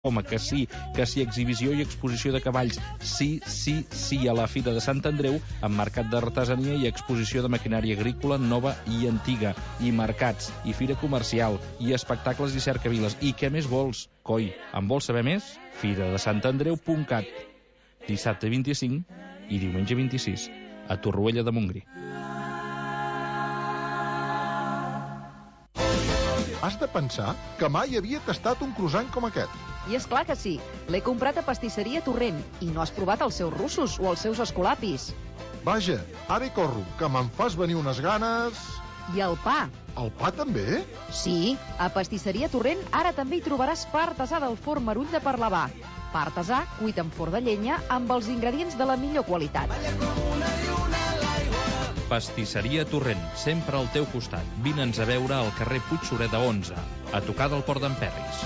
Home, que sí exhibició i exposició de cavalls, sí a la Fira de Sant Andreu, amb mercat d'artesania i exposició de maquinària agrícola nova i antiga, i mercats, i fira comercial, i espectacles i cercaviles. I què més vols? Coi, en vols saber més? firadesantandreu.cat. Dissabte 25 i diumenge 26, a Torroella de Montgrí. Has de pensar que mai havia tastat un croissant com aquest. I és clar que sí. L'he comprat a Pastisseria Torrent i no has provat els seus russos o els seus escolapis. Vaja, ara hi corro, que me'n fas venir unes ganes... I el pa. El pa també? Sí, a Pastisseria Torrent ara també hi trobaràs pa artesà del forn Marull de Parlavà. Pa artesà cuit en forn de llenya amb els ingredients de la millor qualitat. Pastisseria Torrent, sempre al teu costat. Vine'ns a veure al carrer Puigsureda 11, a tocar del Port d'en Perris.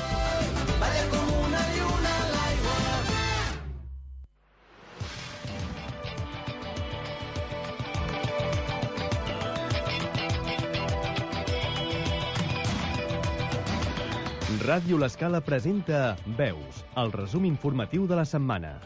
Ràdio L'Escala presenta Veus, el resum informatiu de la setmana.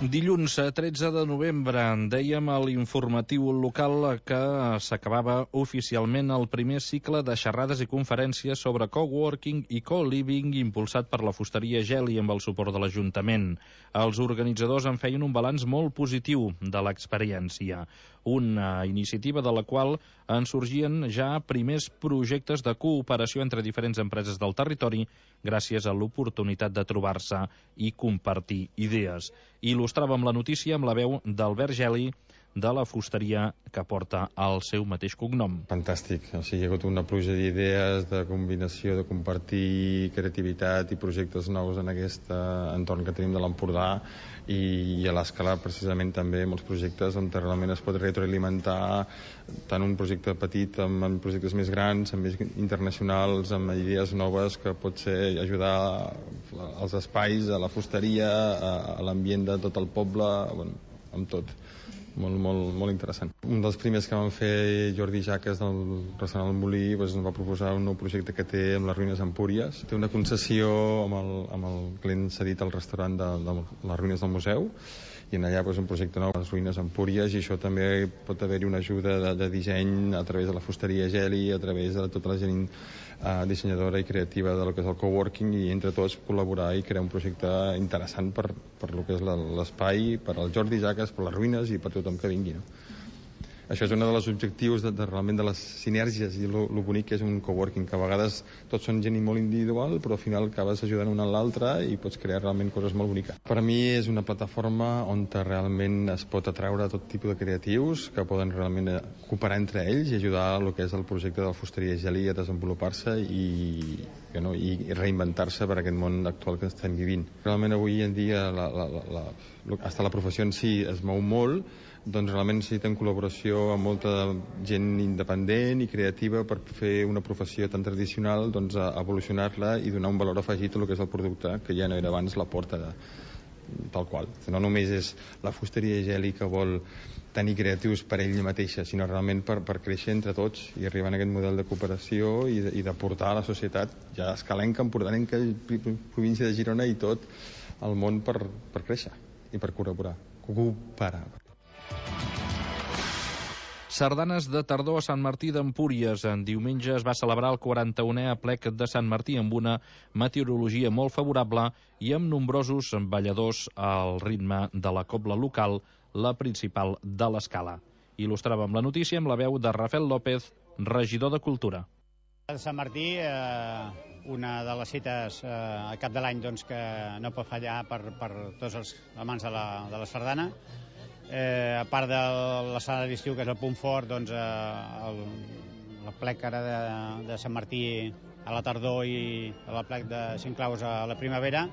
Dilluns 13 de novembre dèiem a l'informatiu local que s'acabava oficialment el primer cicle de xerrades i conferències sobre coworking i co-living impulsat per la fusteria Geli amb el suport de l'Ajuntament. Els organitzadors en feien un balanç molt positiu de l'experiència, una iniciativa de la qual en sorgien ja primers projectes de cooperació entre diferents empreses del territori gràcies a l'oportunitat de trobar-se i compartir idees. Il·lustràvem la notícia amb la veu d'Albert Geli, de la fusteria que porta el seu mateix cognom. Fantàstic, o sigui, hi ha hagut una pluja d'idees, de combinació, de compartir creativitat i projectes nous en aquest entorn que tenim de l'Empordà i a l'Escala precisament també molts projectes on realment es pot retroalimentar tant un projecte petit amb projectes més grans, amb més internacionals, amb idees noves que pot ser ajudar als espais, a la fusteria, a l'ambient de tot el poble, bueno, amb tot. Molt interessant. Un dels primers que vam fer, Jordi Jaques del restaurant El Molí, ens va proposar un nou projecte que té amb les ruïnes Empúries. Té una concessió amb el client cedit al restaurant de les ruïnes del museu i en allà un projecte nou a les ruïnes Empúries, i això també pot haver-hi una ajuda de disseny a través de la fusteria Geli, a través de tota la gent dissenyadora i creativa del que és el coworking, i entre tots col·laborar i crear un projecte interessant per lo que és l'espai, per al Jordi Jaques, per les ruïnes i per tothom que vingui, no? Això és un dels objectius realment de les sinergies i lo bonic que és un coworking, que a vegades tots són gent molt individual, però al final acabes ajudant un a l'altre i pots crear realment coses molt boniques. Per a mi és una plataforma on realment es pot atraure tot tipus de creatius que poden realment cooperar entre ells i ajudar a lo que és el projecte de la fusteria Geli a desenvolupar-se i reinventar-se per aquest món actual que estem vivint. Realment avui en dia la professió en si es mou molt, doncs realment necessiten col·laboració amb molta gent independent i creativa per fer una professió tan tradicional, doncs evolucionar-la i donar un valor afegit a lo que és el producte, que ja no era abans la porta tal qual. No només és la fusteria Geli que vol tenir creatius per ella mateixa, sinó realment per créixer entre tots i arribar a aquest model de cooperació i d'aportar a la societat, ja escalenca, empordanenca, província de Girona i tot el món per créixer i per cooperar. Sardanes de tardor a Sant Martí d'Empúries. En diumenge es va celebrar el 41è aplec de Sant Martí amb una meteorologia molt favorable i amb nombrosos balladors al ritme de la cobla local, la principal de l'Escala. Il·lustràvem la notícia amb la veu de Rafael López, regidor de Cultura. A Sant Martí, una de les cites a cap de l'any que no pot fallar per tots els amants de la sardana. A part de la sala d'estiu, que és el punt fort, l'aplec ara de Sant Martí a la tardor i l'aplec de Cinc Claus a la primavera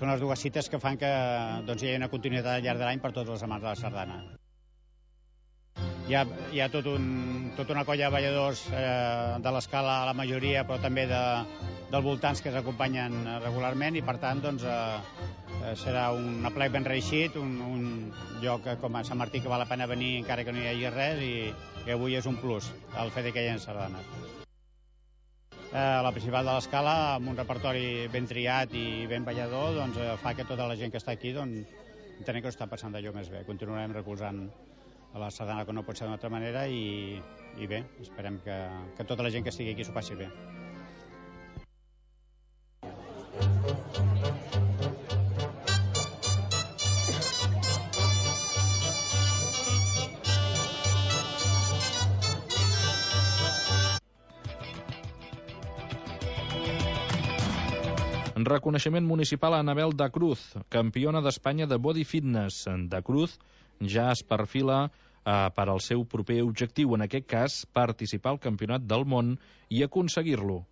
són les dues cites que fan que hi hagi una continuïtat al llarg de l'any per tots els amants de la sardana. Hi ha tota una colla de balladors de l'Escala, la majoria, però també dels voltants que s'acompanyen regularment, i per tant serà un aplec ben reeixit, un lloc com a Sant Martí que val la pena venir encara que no hi hagi res, i avui és un plus el fet que hi hagi sardanes. la principal de l'Escala, amb un repertori ben triat i ben ballador, doncs fa que tota la gent que està aquí entenem que ho està passant d'allò més bé. Continuarem recolzant a la sardana que no pot ser d'una altra manera i bé, esperem que tota la gent que estigui aquí s'ho passi bé. Reconeixement municipal a Anabel da Cruz, campiona d'Espanya de body fitness. Da Cruz ja es perfila per al seu proper objectiu, en aquest cas, participar al Campionat del Món i aconseguir-lo.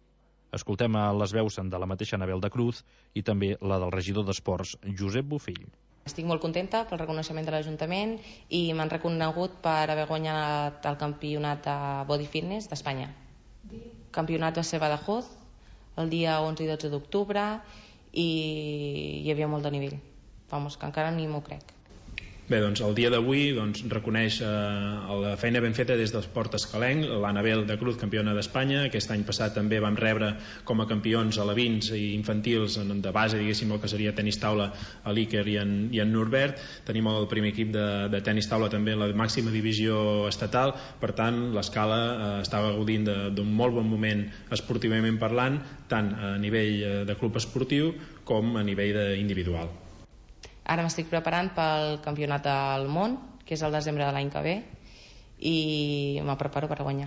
Escoltem a les veus de la mateixa Anabel da Cruz i també la del regidor d'Esports, Josep Bofill. Estic molt contenta pel reconeixement de l'Ajuntament i m'han reconegut per haver guanyat el campionat de body fitness d'Espanya. El campionat va ser a Badajoz el dia 11 i 12 d'octubre i hi havia molt de nivell. Vamos, que encara ni m'ho crec. Bé, doncs el dia d'avui reconeix la feina ben feta des del Port Escalenc, l'Anabel da Cruz, campiona d'Espanya. Aquest any passat també vam rebre com a campions alevins i infantils de base, diguéssim, el que seria tenis taula a l'Iker i en Norbert. Tenim el primer equip de tenis taula també en la màxima divisió estatal. Per tant, l'Escala estava gaudint d'un molt bon moment esportivament parlant, tant a nivell de club esportiu com a nivell individual. Ara m'estic preparant pel campionat del món, que és el desembre de l'any que ve, i me preparo per guanyar.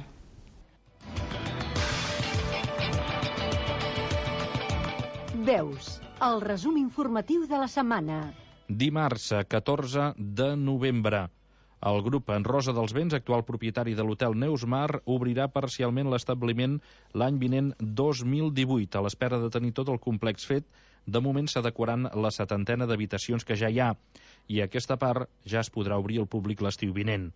Veus, el resum informatiu de la setmana. Dimarts, 14 de novembre. El grup En Rosa dels Vents, actual propietari de l'hotel Neusmar, obrirà parcialment l'establiment l'any vinent 2018, a l'espera de tenir tot el complex fet. De moment s'adequaran la 70ena d'habitacions que ja hi ha i aquesta part ja es podrà obrir al públic l'estiu vinent.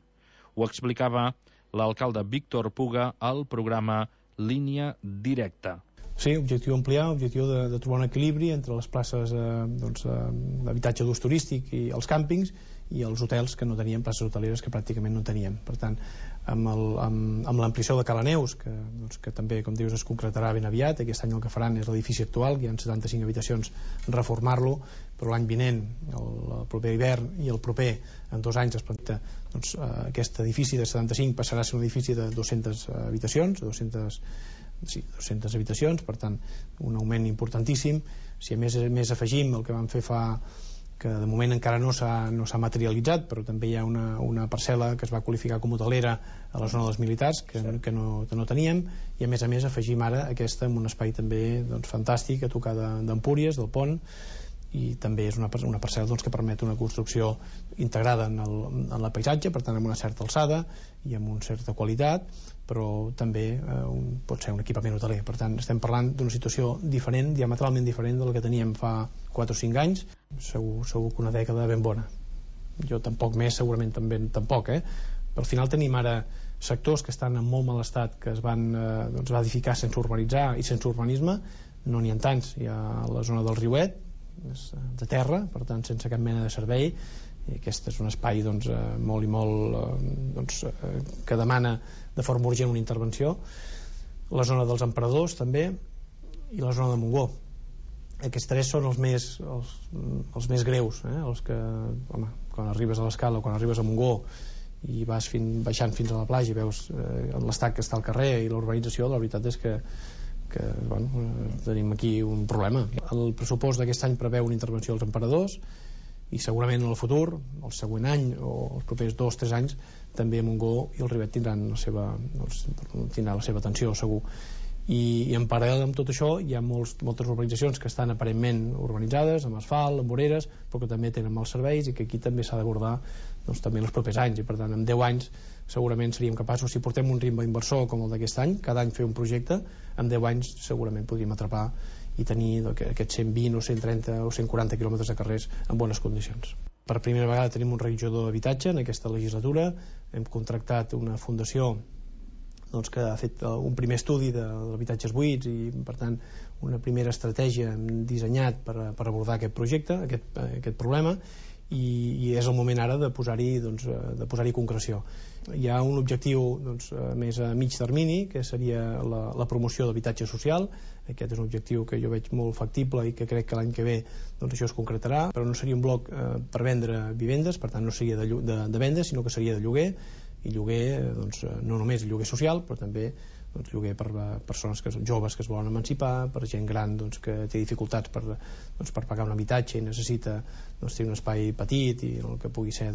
Ho explicava l'alcalde Víctor Puga al programa Línia Directa. Sí, objectiu ampliar, objectiu de trobar un equilibri entre les places d'habitatge d'ús turístic i els càmpings i els hotels, que no teníem places hoteleres, que pràcticament no teníem. Per tant, amb l'ampliació de Cala Neus, que també, com dius, es concretarà ben aviat. Aquest any el que faran és l'edifici actual, que hi ha 75 habitacions, reformar-lo, però l'any vinent, el proper hivern i el proper, en 2 anys, es planta, aquest edifici de 75 passarà a ser un edifici de 200 habitacions, 200 habitacions, per tant, un augment importantíssim. Si a més afegim el que vam fer que de moment encara no s'ha materialitzat, però també hi ha una parcel·la que es va qualificar com hotelera a la zona dels militars, que no teníem, i a més afegim ara aquesta en un espai també fantàstic a tocar d'Empúries, del pont, i també és una parcel·la que permet una construcció integrada en la paisatge, per tant amb una certa alçada i amb una certa qualitat, però també pot ser un equipament hoteler. Per tant, estem parlant d'una situació diferent, diametralment diferent de la que teníem fa 4 o 5 anys. Segur que una dècada ben bona. Jo tampoc més, segurament també tampoc, Però al final tenim ara sectors que estan en molt mal estat, que es van edificar sense urbanitzar i sense urbanisme. No n'hi ha tants. Hi ha la zona del Riuet, de terra, per tant sense cap mena de servei, i aquest és un espai molt i molt que demana de forma urgent una intervenció. La zona dels Emperadors també, i la zona de Montgó. Aquests 3 són els més greus, els que, quan arribes a l'Escala o quan arribes a Montgó i vas baixant fins a la platja i veus l'estat que està al carrer i la urbanització, la veritat és que tenim aquí un problema. El pressupost d'aquest any preveu una intervenció als Emperadors i segurament en el futur, el següent any o els propers 2 o 3 anys, també Montgó i el Rivet tindran la seva atenció, segur. I en paral·lel amb tot això hi ha moltes urbanitzacions que estan aparentment urbanitzades, amb asfalt, amb voreres, però que també tenen mals serveis i que aquí també s'ha d'abordar també en els propers anys, i per tant en 10 anys segurament seríem capaços, si portem un ritme inversor com el d'aquest any, cada any fer un projecte, en 10 anys segurament podríem atrapar i tenir aquests 120 o 130 o 140 quilòmetres de carrers en bones condicions. Per primera vegada tenim un reguitzador d'habitatge en aquesta legislatura. Hem contractat una fundació que ha fet un primer estudi d'habitatges buits i per tant una primera estratègia dissenyat per abordar aquest projecte, aquest problema, i és el moment ara de posar-hi concreció. Hi ha un objectiu més a mig termini, que seria la promoció d'habitatge social. Aquest és un objectiu que jo veig molt factible i que crec que l'any que ve això es concretarà, però no seria un bloc per vendre vivendes, per tant no seria de venda, sinó que seria de lloguer, i lloguer no només lloguer social, però també lloguer per persones joves que es volen emancipar, per gent gran que té dificultats per pagar un habitatge i necessita tenir un espai petit i el que pugui ser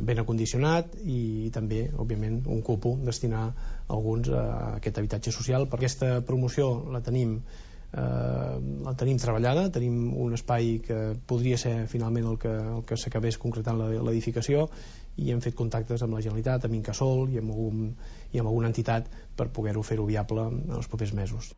ben acondicionat, i també òbviament un cupo destinar alguns a aquest habitatge social. Per aquesta promoció la tenim treballada, tenim un espai que podria ser finalment el que s'acabés concretant l'edificació, i hem fet contactes amb la Generalitat, amb Incasòl i amb alguna entitat per poder-ho fer-ho viable en els propers mesos.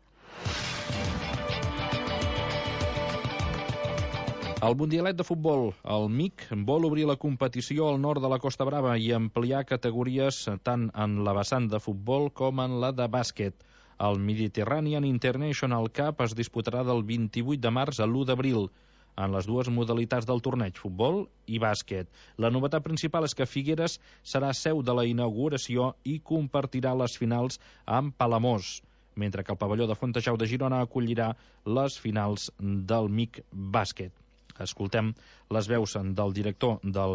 El Mundialet de Futbol, el MIC, vol obrir la competició al nord de la Costa Brava i ampliar categories tant en la vessant de futbol com en la de bàsquet. El Mediterranean International Cup es disputarà del 28 de març a l'1 d'abril, en les dues modalitats del torneig, futbol i bàsquet. La novetat principal és que Figueres serà seu de la inauguració i compartirà les finals amb Palamós, mentre que el pavelló de Fontejau de Girona acollirà les finals del MIC bàsquet. Escoltem les veus del director del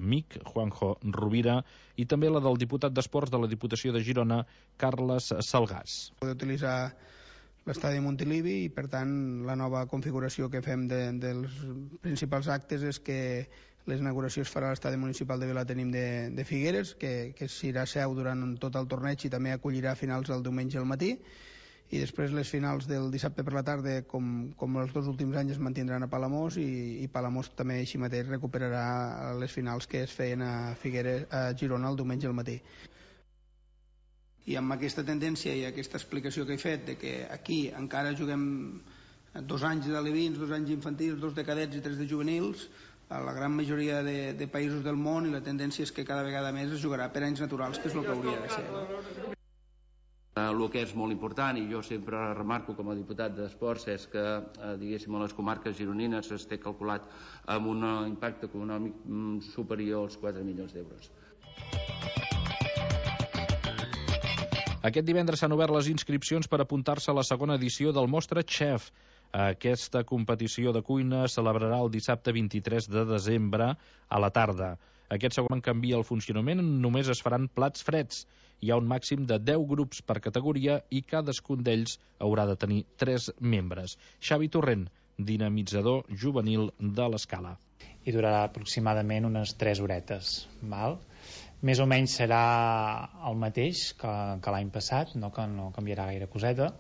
MIC, Juanjo Rovira, i també la del diputat d'Esports de la Diputació de Girona, Carles Salgàs. Poder utilitzar l'estadi Montilivi, i per tant la nova configuració que fem dels principals actes és que l'inauguració es farà a l'estadi municipal de Vilatenim de Figueres, que serà seu durant tot el torneig i també acollirà finals el diumenge al matí, i després les finals del dissabte per la tarda, com els dos últims anys, es mantindran a Palamós, i Palamós també així mateix recuperarà les finals que es feien a Figueres, a Girona, el diumenge al matí. I amb aquesta tendència i aquesta explicació que he fet de que aquí encara juguem 2 anys d'alevins, 2 anys infantils, 2 de cadets i 3 de juvenils, a la gran majoria de països del món, i la tendència és que cada vegada més es jugarà per anys naturals, que és el que hauria de ser. El que és molt important, i jo sempre remarco com a diputat d'Esports, és que diguéssim a les comarques gironines es té calculat amb un impacte econòmic superior als 4 milions d'euros. Aquest divendres s'han obert les inscripcions per apuntar-se a la segona edició del Mostra Chef. Aquesta competició de cuina es celebrarà el dissabte 23 de desembre a la tarda. Aquest segon canvia el funcionament, només es faran plats freds. Hi ha un màxim de 10 grups per categoria i cadascun d'ells haurà de tenir 3 membres. Xavi Torrent, dinamitzador juvenil de l'Escala. I durarà aproximadament unes 3 horetes, val? Més o menys serà el mateix que l'any passat, no canviarà gaire coseta,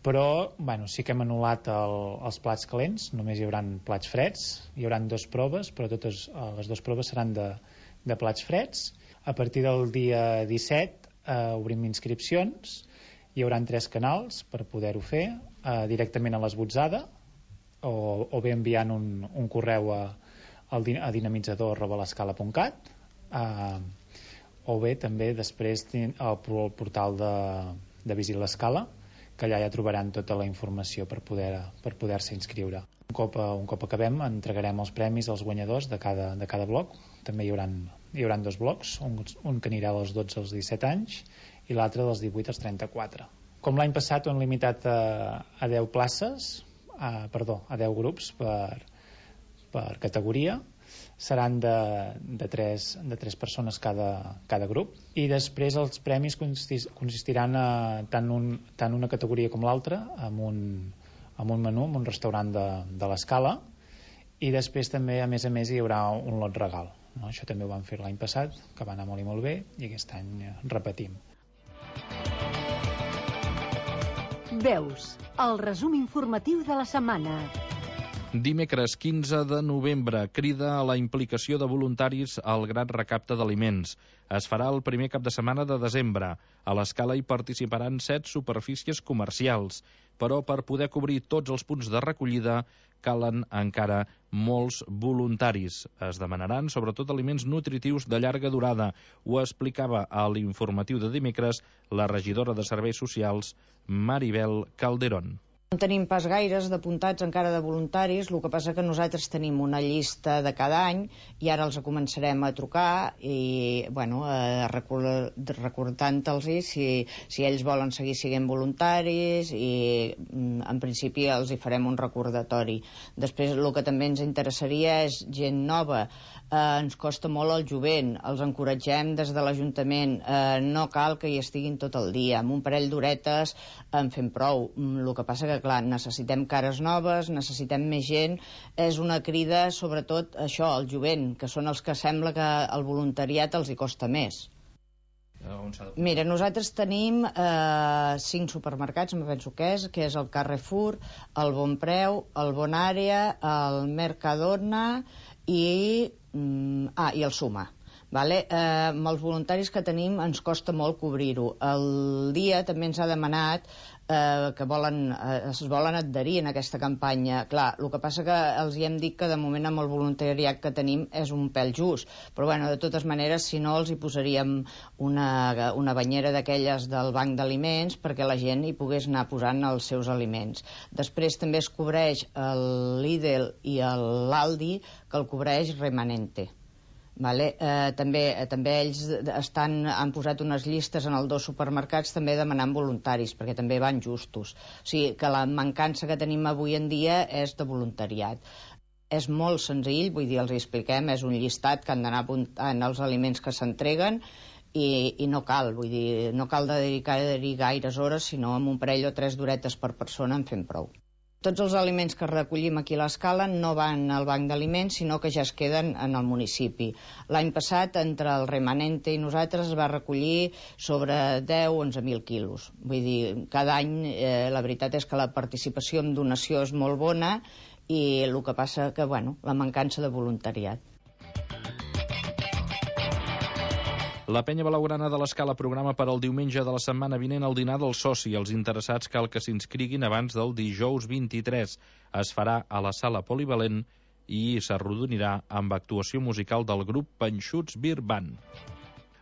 però sí que hem anul·lat els plats calents, només hi haurà plats freds, hi haurà 2 proves, però totes les 2 proves seran de plats freds. A partir del dia 17 obrim inscripcions, hi haurà 3 canals per poder-ho fer, directament a l'esbotzada, o bé enviant un correu a dinamitzador@lescala.cat, o bé també després al portal de Visit l'Escala, que allà ja trobaran tota la informació per poder-se inscriure. Un cop acabem entregarem els premis als guanyadors de cada bloc. També hi haurà 2 blocs, un que anirà dels 12 als 17 anys i l'altre dels 18 als 34. Com l'any passat ho hem limitat a 10 places, a 10 grups per categoria. Seran de 3 persones cada grup, i després els premis consistiran tant una categoria com l'altra amb un menú, amb un restaurant de l'Escala, i després també a més hi haurà un lot regal, no? Això també ho vam fer l'any passat, que va anar molt i molt bé, i aquest any repetim. Veus, el resum informatiu de la setmana. Dimecres 15 de novembre, crida a la implicació de voluntaris al gran recapte d'aliments. Es farà el primer cap de setmana de desembre. A l'Escala hi participaran 7 superfícies comercials, però per poder cobrir tots els punts de recollida calen encara molts voluntaris. Es demanaran sobretot aliments nutritius de llarga durada. Ho explicava a l'informatiu de dimecres la regidora de Serveis Socials, Maribel Calderón. No tenim pas gaires d'apuntats encara de voluntaris, el que passa que nosaltres tenim una llista de cada any i ara els començarem a trucar i, recordant-los si ells volen seguir sent voluntaris i, en principi, els hi farem un recordatori. Després, el que també ens interessaria és gent nova. Ens costa molt el jovent, els encoratgem des de l'Ajuntament, no cal que hi estiguin tot el dia, amb un parell d'horetes en fem prou. El que passa que, clar, necessitem cares noves, necessitem més gent, és una crida, sobretot, això, el jovent, que són els que sembla que el voluntariat els hi costa més. Mira, nosaltres tenim 5 supermercats, em penso que és el Carrefour, el Bon Preu, el Bon Àrea, el Mercadona i el Suma. Amb els voluntaris que tenim ens costa molt cobrir-ho. El dia també ens ha demanat que es volen adherir en aquesta campanya. Clar, el que passa que els hi hem dit que de moment amb el voluntariat que tenim és un pèl just, però de totes maneres, si no, els hi posaríem una banyera d'aquelles del banc d'aliments perquè la gent hi pogués anar posant els seus aliments. Després també es cobreix el Lidl i l'Aldi, que el cobreix Remanente. També ells han posat unes llistes en els 2 supermercats també demanant voluntaris, perquè també van justos. O sigui que la mancança que tenim avui en dia és de voluntariat. És molt senzill, vull dir, els expliquem, és un llistat que han d'anar apuntant els aliments que s'entreguen i no cal, vull dir, no cal dedicar-hi gaires hores, sinó amb un parell o 3 d'horetes per persona en fem prou. Tots els aliments que recollim aquí a l'Escala no van al banc d'aliments, sinó que ja es queden en el municipi. L'any passat, entre el Remanente i nosaltres, es va recollir sobre 10-11.000 quilos. Vull dir, cada any la veritat és que la participació en donació és molt bona i el que passa que, la mancança de voluntariat. La Penya Blaugrana de l'Escala programa per al diumenge de la setmana vinent el dinar del soci. Els interessats cal que s'inscriguin abans del dijous 23. Es farà a la sala polivalent i s'arrodonirà amb actuació musical del grup Panxuts Beer Band.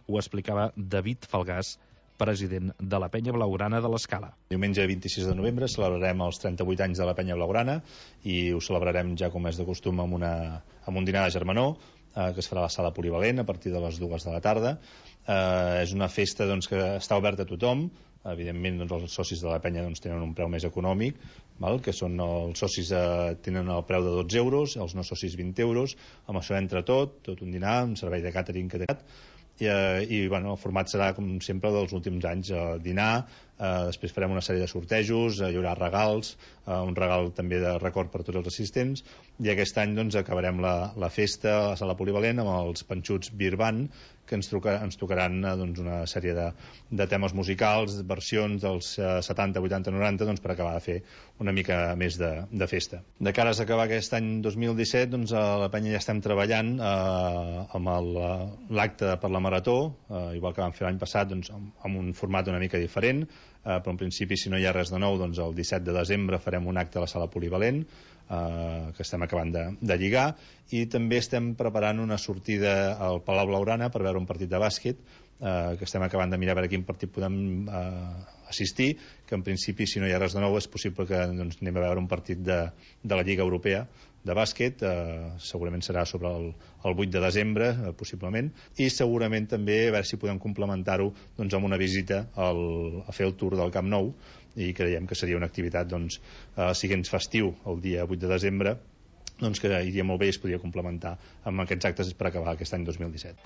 Ho explicava David Falgàs, president de la Penya Blaugrana de l'Escala. Diumenge 26 de novembre celebrarem els 38 anys de la Penya Blaugrana i ho celebrarem ja com és de costum amb un dinar de germanor que es farà a la sala polivalent a partir de les 2 de la tarda. És una festa que està oberta a tothom. Evidentment els socis de la penya tenen un preu més econòmic, que són els socis tenen el preu de 12 euros, els no socis 20 euros. Amb això entra tot un dinar, un servei de càtering que té i el format serà com sempre dels últims anys, dinar, després farem una sèrie de sortejos, hi haurà regals, un regal també de record per tots els assistents, i aquest any acabarem la festa a la sala polivalent amb els Panxuts Beer Band, que ens tocaran una sèrie de temes musicals, versions dels 70, 80, 90, per acabar de fer una mica més de festa. De cara a acabar aquest any 2017, a la penya ja estem treballant amb l'acte per la marató, igual que vam fer l'any passat, amb un format una mica diferent, però en principi, si no hi ha res de nou, el 17 de desembre farem un acte a la sala polivalent, que estem acabant de lligar, i també estem preparant una sortida al Palau Blaugrana per veure un partit de bàsquet, que estem acabant de mirar a veure quin partit podem assistir, que en principi, si no hi ha res de nou, és possible que anem a veure un partit de la Lliga Europea de bàsquet, segurament serà sobre el 8 de desembre, possiblement, i segurament també a veure si podem complementar-ho amb una visita a fer el tour del Camp Nou, i creiem que seria una activitat, si ens festiu el dia 8 de desembre, que iria molt bé i es podria complementar amb aquests actes per acabar aquest any 2017.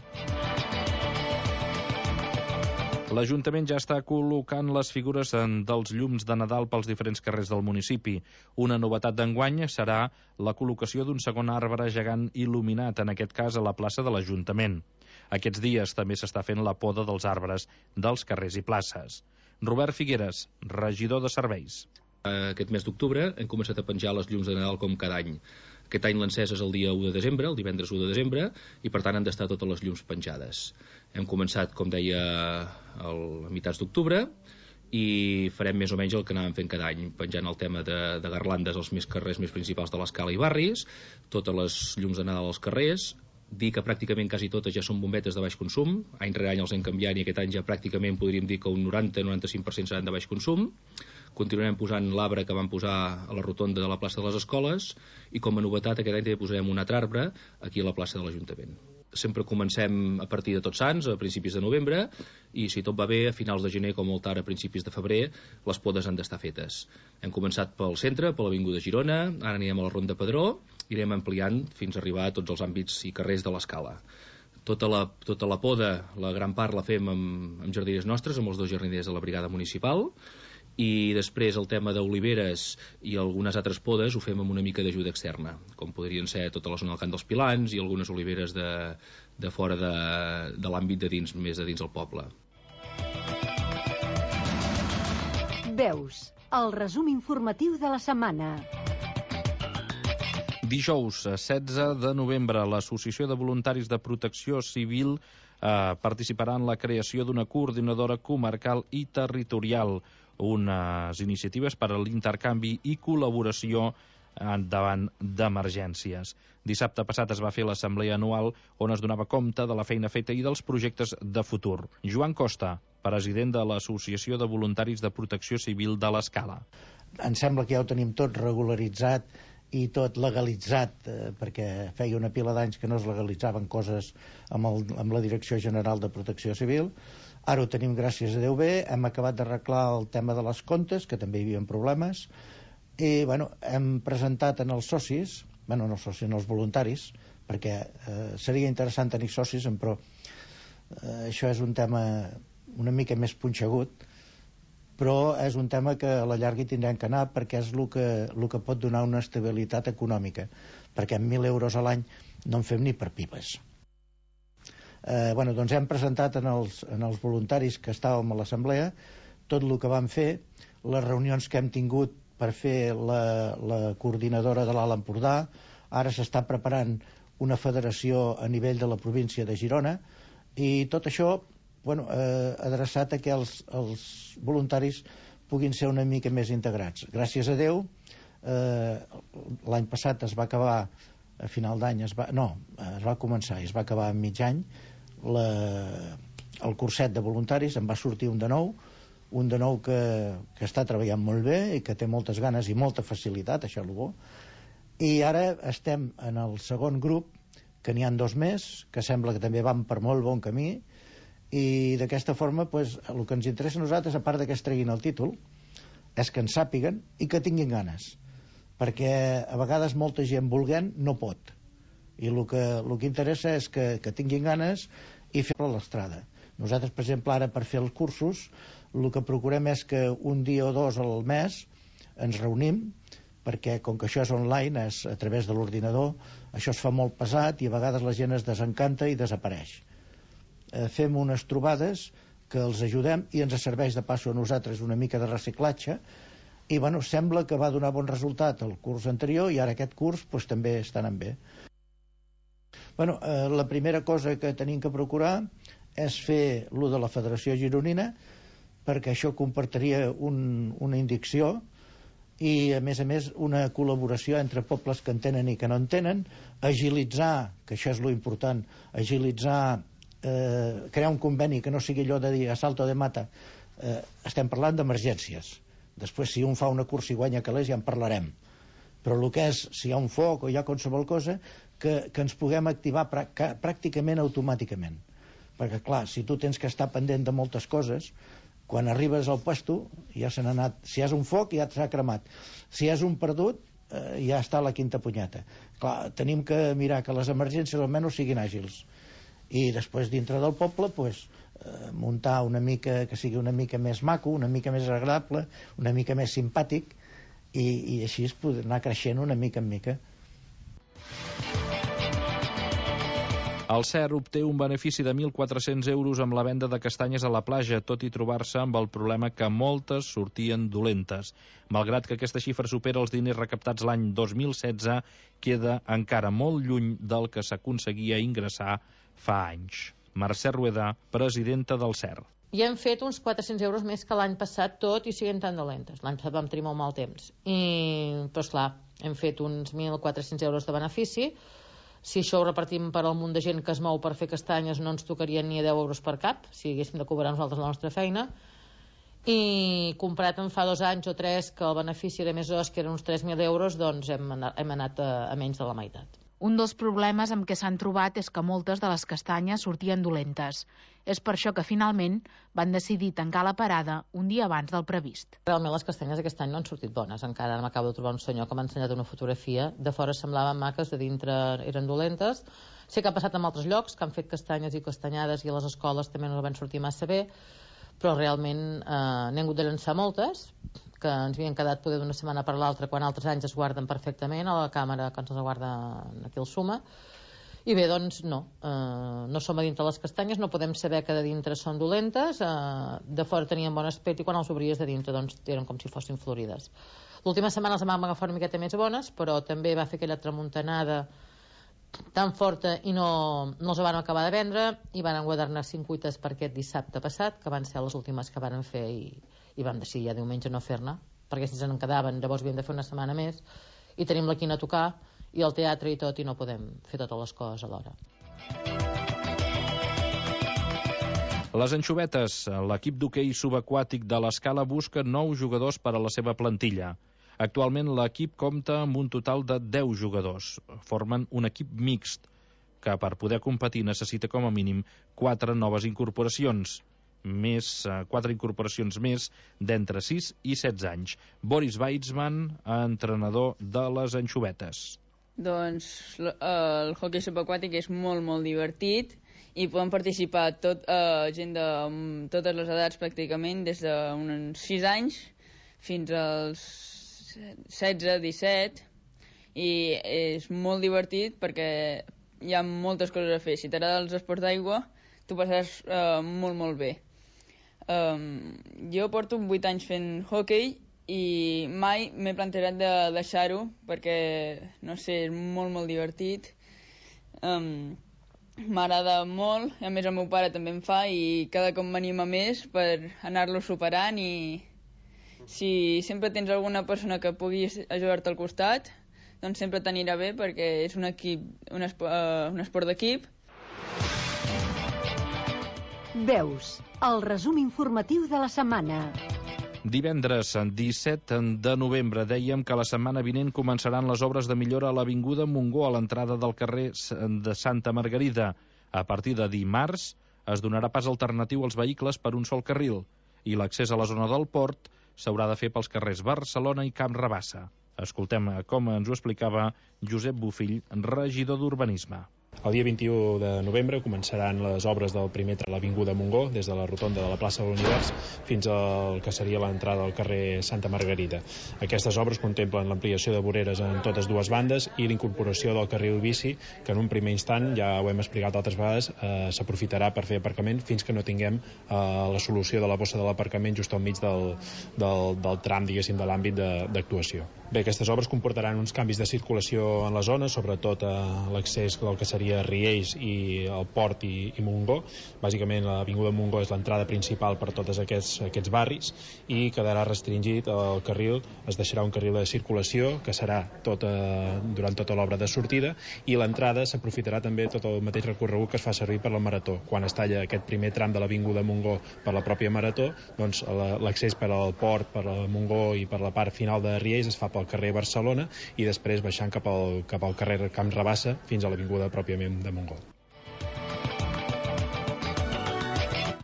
L'Ajuntament ja està col·locant les figures dels llums de Nadal pels diferents carrers del municipi. Una novetat d'enguany serà la col·locació d'un segon arbre gegant il·luminat, en aquest cas a la plaça de l'Ajuntament. Aquests dies també s'està fent la poda dels arbres dels carrers i places. Robert Figueres, regidor de Serveis. Aquest mes d'octubre hem començat a penjar les llums de Nadal com cada any. Aquest any l'encès és el dia 1 de desembre, el divendres 1 de desembre, i per tant han d'estar totes les llums penjades. Hem començat, com deia, a mitjans d'octubre, i farem més o menys el que anàvem fent cada any, penjant el tema de garlandes als carrers més principals de l'Escala i barris, totes les llums de Nadal als carrers, dir que pràcticament quasi totes ja són bombetes de baix consum. Any rere any els hem canviat i aquest any ja pràcticament podríem dir que un 90-95% seran de baix consum. Continuarem posant l'arbre que vam posar a la rotonda de la plaça de les Escoles i com a novetat aquest any també posarem un altre arbre aquí a la plaça de l'Ajuntament. Sempre comencem a partir de Tots Sants, a principis de novembre, i si tot va bé, a finals de gener, com molt tard, a principis de febrer, les podes han d'estar fetes. Hem començat pel centre, per l'Avinguda Girona, ara anirem a la Ronda Pedró, i irem ampliant fins a arribar a tots els àmbits i carrers de l'Escala. Tota la poda, la gran part la fem amb jardiners nostres, amb els 2 jardiners de la brigada municipal, i després el tema d'oliveres i algunes altres podes ho fem amb una mica d'ajuda externa, com podrien ser tota la zona del Camp dels Pilans i algunes oliveres de fora de l'àmbit de dins, més de dins del poble. Veus, el resum informatiu de la setmana. Dijous, 16 de novembre, l'Associació de Voluntaris de Protecció Civil participarà en la creació d'una coordinadora comarcal i territorial, unes iniciatives per a l'intercanvi i col·laboració davant d'emergències. Dissabte passat es va fer l'assemblea anual on es donava compte de la feina feta i dels projectes de futur. Joan Costa, president de l'Associació de Voluntaris de Protecció Civil de l'Escala. Em sembla que ja ho tenim tot regularitzat i tot legalitzat, perquè feia una pila d'anys que no es legalitzaven coses amb la Direcció General de Protecció Civil. Ara ho tenim, gràcies a Déu bé, hem acabat d'arreglar el tema de les comptes, que també hi havia problemes, i hem presentat en els socis, en els voluntaris, perquè seria interessant tenir socis, però això és un tema una mica més punxegut, però és un tema que a la llarga hi tindrem que anar perquè és el que pot donar una estabilitat econòmica, perquè amb 1.000 euros a l'any no en fem ni per pipes. Doncs hem presentat en els voluntaris que estàvem a l'assemblea tot el que vam fer, les reunions que hem tingut per fer la coordinadora de l'Alt Empordà. Ara s'està preparant una federació a nivell de la província de Girona i tot això adreçat a que els voluntaris puguin ser una mica més integrats. Gràcies a Déu, l'any passat es va acabar a final d'any, es va començar i es va acabar a mig any el curset de voluntaris. En va sortir un de nou que està treballant molt bé i que té moltes ganes i molta facilitat, això és el bo. I ara estem en el segon grup, que n'hi ha 2 més, que sembla que també van per molt bon camí, i d'aquesta forma el que ens interessa a nosaltres, a part que es treguin el títol, és que en sàpiguen i que tinguin ganes, perquè a vegades molta gent volent no pot, i el que interessa és que tinguin ganes i fer-ho a l'estrada. Nosaltres, per exemple, ara per fer els cursos el que procurem és que un dia o 2 al mes ens reunim, perquè com que això és online, és a través de l'ordinador, això es fa molt pesat i a vegades la gent es desencanta i desapareix. Fem unes trobades que els ajudem i ens serveix de passo a nosaltres una mica de reciclatge i sembla que va donar bon resultat el curs anterior i ara aquest curs també està anant bé. La primera cosa que tenim que procurar és fer lo de la Federació Gironina, perquè això comportaria una indicció i a més una col·laboració entre pobles que en tenen i que no en tenen, agilitzar, que això és lo important, crear un conveni que no sigui allò de dir a salto de mata. Estem parlant d'emergències. Després, si un fa una cursa i guanya calés, ja en parlarem. Però el que és, si hi ha un foc o hi ha qualsevol cosa, que ens puguem activar pràcticament automàticament. Perquè, clar, si tu tens que estar pendent de moltes coses, quan arribes al puesto ja se n'ha anat. Si és un foc, ja s'ha cremat. Si és un perdut, ja està la quinta punyeta. Clar, tenim que mirar que les emergències almenys siguin àgils. I després, dintre del poble, muntar una mica, que sigui una mica més maco, una mica més agradable, una mica més simpàtic, i així es pot anar creixent una mica en mica. El CER obté un benefici de 1.400 euros amb la venda de castanyes a la platja, tot i trobar-se amb el problema que moltes sortien dolentes. Malgrat que aquesta xifra supera els diners recaptats l'any 2016, queda encara molt lluny del que s'aconseguia ingressar fa anys. Mercè Rueda, presidenta del CER. Ja hem fet uns 400 euros més que l'any passat, tot i siguen tan dolentes. L'any passat vam tenir molt mal temps. Però esclar, hem fet uns 1.400 euros de benefici, Si això ho repartim per al munt de gent que es mou per fer castanyes, no ens tocarien ni a 10 euros per cap, si haguéssim de cobrar nosaltres la nostra feina. I comprat en fa 2 anys o 3 que el benefici era més os, que eren uns 3.000 euros, doncs hem anat a menys de la meitat. Un dels problemes amb què s'han trobat és que moltes de les castanyes sortien dolentes. És per això que finalment van decidir tancar la parada un dia abans del previst. Realment les castanyes aquest any no han sortit bones. Encara m'acabo de trobar un senyor que m'ha ensenyat una fotografia. De fora semblaven maques, de dintre eren dolentes. Sé que ha passat en altres llocs, que han fet castanyes i castanyades i a les escoles també no van sortir massa bé, però realment n'hem hagut de llançar moltes, que ens havien quedat poder d'una setmana per l'altra, quan altres anys es guarden perfectament a la càmera que ens els guarda aquí al Suma. I bé, doncs no som a dintre les castanyes, no podem saber que de dintre són dolentes, de fora tenien bon aspecte i quan els obries de dintre doncs eren com si fossin florides. L'última setmana les vam agafar una miqueta més bones, però també va fer aquella tramuntanada tan forta i no els van acabar de vendre i van guardar-ne 5 cuites per aquest dissabte passat, que van ser les últimes que van fer i vam decidir ja diumenge no fer-ne, perquè si se'n quedaven llavors havíem de fer una setmana més i tenim la quina a tocar i el teatre i tot i no podem fer totes les coses alhora. Les Anxovetes, l'equip d'hoquei subaquàtic de l'Escala busca 9 jugadors per a la seva plantilla. Actualment l'equip compta amb un total de 10 jugadors. Formen un equip mixt, que per poder competir necessita com a mínim 4 noves incorporacions. 4 incorporacions més d'entre 6 i 16 anys. Boris Weitzman, entrenador de les Anxovetes. Doncs el hoquei subaquàtic és molt, molt divertit i poden participar gent de totes les edats pràcticament, des d'uns 6 anys fins als 16, 17, i és molt divertit perquè hi ha moltes coses a fer. Si t'agrada els esports d'aigua, t'ho passaràs molt, molt bé. Jo porto 8 anys fent hoquei i mai m'he plantejat de deixar-ho perquè, no sé, és molt, molt divertit. M'agrada molt, a més el meu pare també em fa i cada cop m'anima més per anar-lo superant i si sempre tens alguna persona que pugui ajudar-te al costat, doncs sempre t'anirà bé perquè és un esport d'equip. Veus, el resum informatiu de la setmana. Divendres 17 de novembre dèiem que la setmana vinent començaran les obres de millora a l'Avinguda Montgó a l'entrada del carrer de Santa Margarida. A partir de dimarts es donarà pas alternatiu als vehicles per un sol carril i l'accés a la zona del port s'haurà de fer pels carrers Barcelona i Camp Rabassa. Escoltem com ens ho explicava Josep Bofill, regidor d'Urbanisme. El dia 21 de novembre començaran les obres del primer tram a l'Avinguda Montgó, des de la rotonda de la plaça de l'Univers fins al que seria l'entrada al carrer Santa Margarida. Aquestes obres contemplen l'ampliació de voreres en totes dues bandes i l'incorporació del carril bici, que en un primer instant, ja ho hem explicat altres vegades, s'aprofitarà per fer aparcament fins que no tinguem la solució de la bossa de l'aparcament just al mig del tram, diguéssim, de l'àmbit d'actuació. Bé, aquestes obres comportaran uns canvis de circulació en la zona, sobretot l'accés del que seria Riells i el Port i Montgó. Bàsicament l'Avinguda Montgó és l'entrada principal per tots aquests barris i quedarà restringit el carril, es deixarà un carril de circulació que serà durant tota l'obra de sortida i l'entrada s'aprofitarà també tot el mateix recorregut que es fa servir per la Marató. Quan es talla aquest primer tram de l'Avinguda Montgó per la pròpia Marató, doncs l'accés per al Port, per al Montgó i per la part final de Riells es fa pel carrer Barcelona i després baixant cap al carrer Camp Rabassa fins a l'Avinguda pròpiament de Montgó.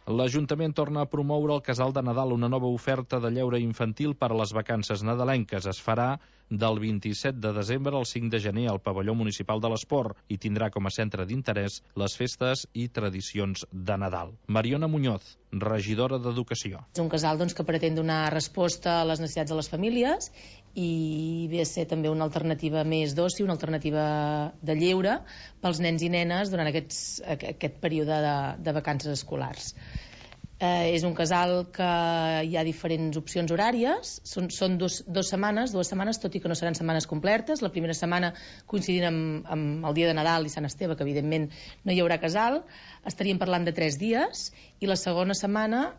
L'Ajuntament torna a promoure el Casal de Nadal, una nova oferta de lleure infantil per a les vacances nadalenques. Es farà del 27 de desembre al 5 de gener al Pavelló Municipal de l'Esport i tindrà com a centre d'interès les festes i tradicions de Nadal. Mariona Muñoz, regidora d'Educació. És un casal que pretén donar resposta a les necessitats de les famílies i ve a ser també una alternativa més d'oci, una alternativa de lleure pels nens i nenes durant aquest període de vacances escolars. És un casal que hi ha diferents opcions horàries, són dues setmanes, tot i que no seran setmanes completes. La primera setmana coincidint amb el dia de Nadal i Sant Esteve, que evidentment no hi haurà casal, estaríem parlant de 3 dies, i la segona setmana,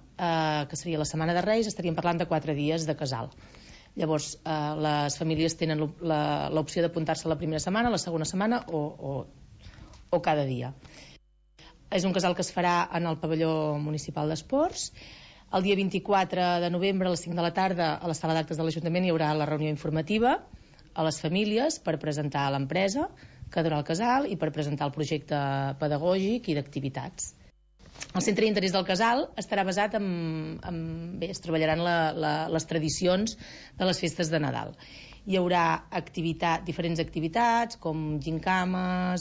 que seria la setmana de Reis, estaríem parlant de 4 dies de casal. Llavors, les famílies tenen l'opció d'apuntar-se la primera setmana, la segona setmana o o cada dia. És un casal que es farà en el pavelló municipal d'esports. El dia 24 de novembre a les 5 de la tarda a la sala d'actes de l'Ajuntament hi haurà la reunió informativa a les famílies per presentar a l'empresa que durà el casal i per presentar el projecte pedagògic i d'activitats. El centre d'interès del casal estarà basat bé, es treballaran les tradicions de les festes de Nadal. Hi haurà diferents activitats com gincames,